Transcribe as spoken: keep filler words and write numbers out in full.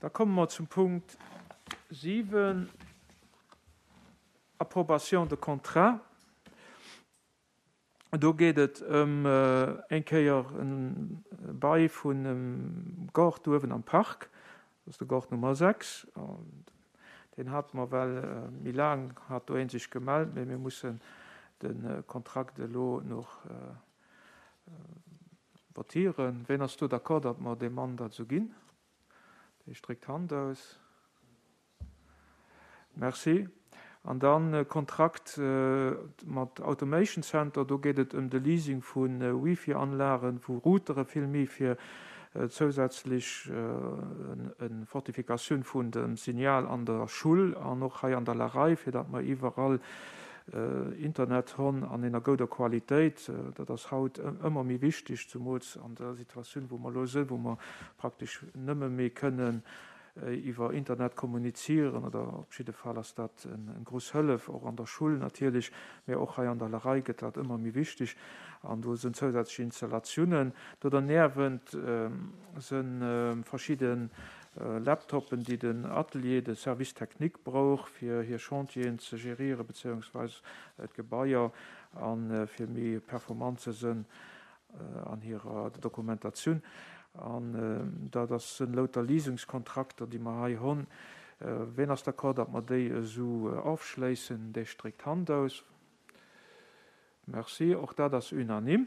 Da komme mer zum Punkt siwen, Approbation de contrat. Do geet et ëm eng Kéier e Bail vun em Gaart uewen am Park. Dat ass de Gaart Nummer sechs. Deen hate mer well méi laang, hat do ee sech gemellt, mee mir mussen de Kontrakt elo nach votieren. Ween ass do d'accord, datt mer deem Mann dat esou ginn? Dee stréckt d'Hand aus. Merci. An dann Kontrakt mat Automation Center, do geet et ëm de Leasing vu Wifi-Anlagen, vu Routere villméi, fir zousätzlech eng Fortifikatioun vun dem Signal an der Schull an och hei an der Larei, fir datt mer iwwerall Internet hunn an enger gouder Qualitéit. Dat ass haut ëmmer méi wichteg, zumools an der Situatioun, wou mer elo sinn, wou mer praktesch nëmme méi kënnen iwwer Internet kommunizieren, oder op jidde Fall ass dat eng grouss Hëllef, och an der Schull natierlech, mä och hei an der Larei gëtt dat ëmmer méi wichteg an do sinn zousätzlech Installatiounen. Do derniewent si verschidde Laptoppen, déi den Atelier, de Service technique brauch, fir hir Chantieren ze gérieren, beziehungsweise d'Gebaier a fir méi performant ze sinn an hirer Dokumentatioun. An dat ass sinn lauter Leasingskontrakter, déi mer hei hunn. Ween ass d'accord, datt mer déi esou ofschléissen? Dee stréckt d'Hand aus. Merci. Och dat ass unanime.